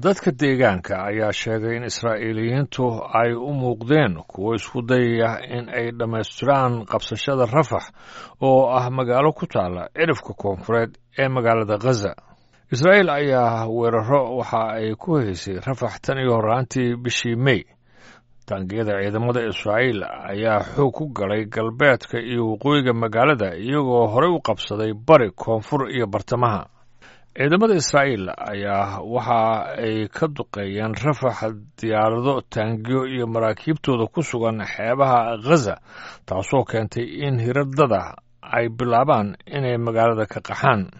Dadka deegaanka ayaa sheegay in Israa'iiliyiintu ay u muuqdeen kuwo isku dayaya in ay dhammaystiraan qabsashada Rafax, oo ah magaalo ku taala cirifka koonfureed ee magaalada Khaza. Israa'iil ayaa weeraro waxa ay ku haysay Rafax tan iyo horraantii bishii Mey. Taangiyada ciidamada Israa'iil ayaa xoog ku galay galbeedka iyo waqooyiga magaalada, iyagoo horey u qabsaday bari, koonfur iyo bartamaha. Ciidamada Israa'iil ayaa waxa ay ka duqeeyeen Rafax diyaarado, taangiyo iyo maraakiibtooda ku sugan xeebaha Khaza, taasoo keentay in hiradada ay bilaabaan inay magaalada ka qaxaan.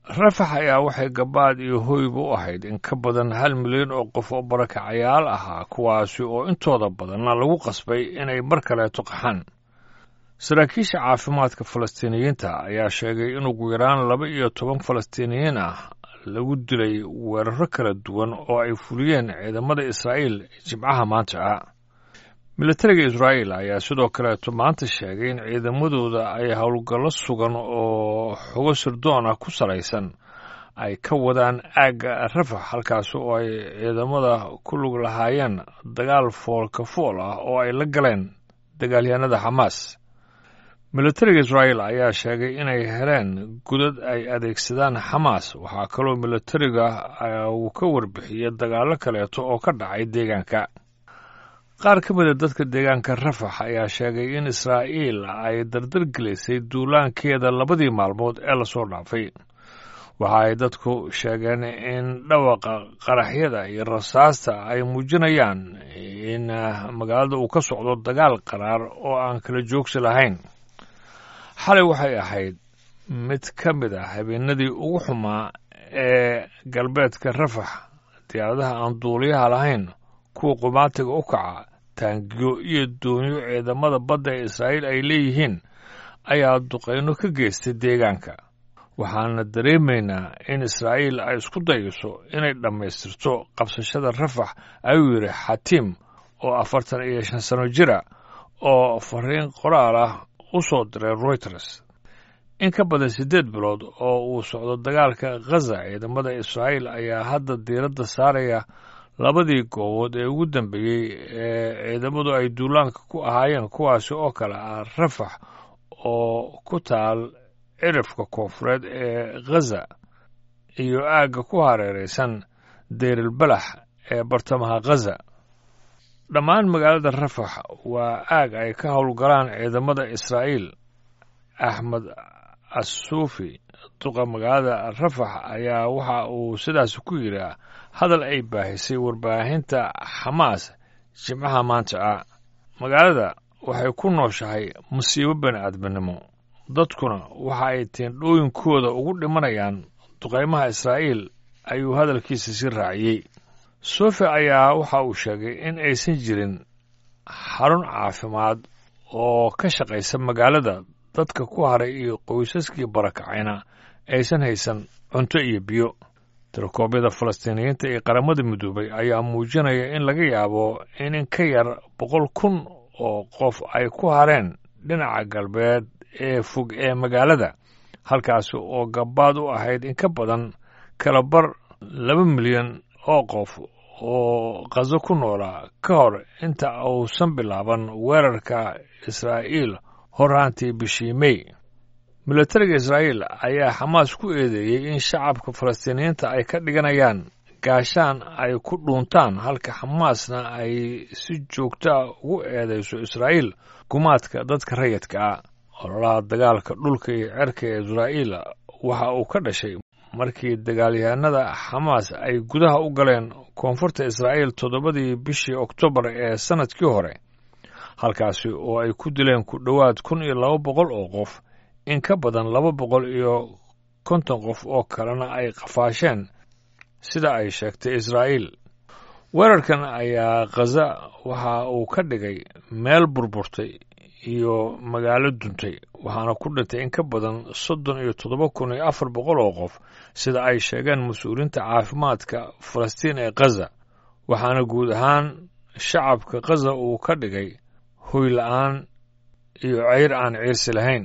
Rafax ayaa waxay gabaad iyo hoyba u ahayd in ka badan 1 milyan oo qof oo barakacayaal ahaa, kuwaasi oo intooda badanna lagu qasbay inay mar kaleeto qaxaan. Saraakiisha caafimaadka Falastiiniyiinta ayaa sheegay in ugu yaraan 12 Falastiiniyiin ah lagu dilay weeraro kala duwan oo ay fuliyeen ciidamada Israa'iil Jimcaha maanta ah. Militariga Israa'iil ayaa sidoo kaleeto maanta sheegay in ciidamadooda ay howlgallo sugan oo xogo sirdoon ah ku salaysan ay ka wadaan aagga Rafax, halkaas oo ay ciidamada ku lug lahaayeen dagaal foolka fool ah oo ay la galeen dagaalyahanada Xamaas. Militariga Israa'iil ayaa sheegay inay heleen godad ay adeegsadaan Xamaas. Waxaa kaloo militariga uu ka warbixiyey dagaallo kaleeto oo ka dhacay deegaanka. Qaar ka mida dadka deegaanka Rafax ayaa sheegay in Israa'iil ay dardar gelisay duulaankeeda labadii maalmood ee lasoo dhaafay. Waxa ay dadku sheegeen in dhawaqa qaraxyada iyo rasaasta ay muujinayaan in magaalada uu ka socdo dagaal qaraar oo aan kala joogsi lahayn. Xalay waxay ahayd mid ka mid ah habeenadii ugu xumaa ee galbeedka Rafax. Diyaaradaha aan duuliyaha lahayn, kuwa qumaatiga u kaca, taangiyo iyo doonyo ciidamada badda ee Israa'iil ay leeyihiin ayaa duqayno ka geystay deegaanka. Waxaana dareemaynaa in Israa'iil ay isku dayayso inay dhammaystirto qabsashada Rafax, ayuu yidhi Xatiim oo 45 sano jira oo fariin qoraal ah u soo diray Reuters. In ka badan 8 bilood oo uu socdo dagaalka Khaza, ciidamada Israa'iil ayaa hadda diiradda saaraya labadii goobood ee ugu dambeeyey ee ciidamadu ay duulaanka ku ahaayeen, kuwaasi oo kale ah Rafax oo ku taal cirifka koonfureed ee Khaza iyo aagga ku hareeraysan Deyrilbalax ee bartamaha Khaza. Dhammaan magaalada Rafax waa aag ay ka howlgalaan ciidamada Israa'iil. Axmed Asuufi, duqa magaalada Rafax, ayaa waxa uu sidaas ku yidhi hadal ay baahisay warbaahinta Xamaas Jimcaha maanta ah: "Magaalada waxay ku nooshahay musiibo bani aadminimo, dadkuna waxa ay teendhooyinkooda ugu dhimanayaan duqaymaha Israa'iil," ayuu hadalkiisa sii raaciyey. Sofi ayaa waxa uu sheegay in aysan jirin xarun caafimaad oo ka shaqaysa magaalada, dadka ku haray iyo qoysaskii barakacayna aysan haysan cunto iyo biyo. Tirakoobyada Falastiiniyiinta iyo Qaramada Midoobay ayaa muujinaya in laga yaabo in ka yar 100,000 oo qof ay ku hareen dhinaca galbeed ee fog ee magaalada, halkaasi oo gabaad u ahayd in ka badan kala bar 2 milyan oo qof oo Qazo ku noolaa ka hor inta uusan bilaaban weerarka Israa'iil horraantii bishii Mey. Militariga Israa'iil ayaa Xamaas ku eedeeyey in shacabka Falastiiniyiinta ay ka dhiganayaan gaashaan ay ku dhuuntaan, halka Xamaasna ay si joogtaa ugu eedeyso Israa'iil gumaadka dadka rayidka ah. Ololaha dagaalka dhulka iyo cerka ee Israa'iil waxa uu ka dhashay markii dagaalyahanada Xamaas ay gudaha u galeen koonfurta Israa'iil 7dii bishii Oktoobar ee sannadkii hore, halkaasi oo ay ku dileen ku dhowaad 1200 oo qof, in ka badan 250 qof oo kalena ay qafaasheen, sida ay sheegtay Israa'iil. Weerarkan ayaa Khaza waxa uu ka dhigay meel burburtay iyo magaalo duntay, waxaana ku dhintay in ka badan 37,400 oo qof, sida ay sheegeen mas-uuliyiinta caafimaadka Falastiin ee Khaza, waxaana guud ahaan shacabka Khaza uu ka dhigay hoy la'aan iyo ceyr aan ciirsi lahayn.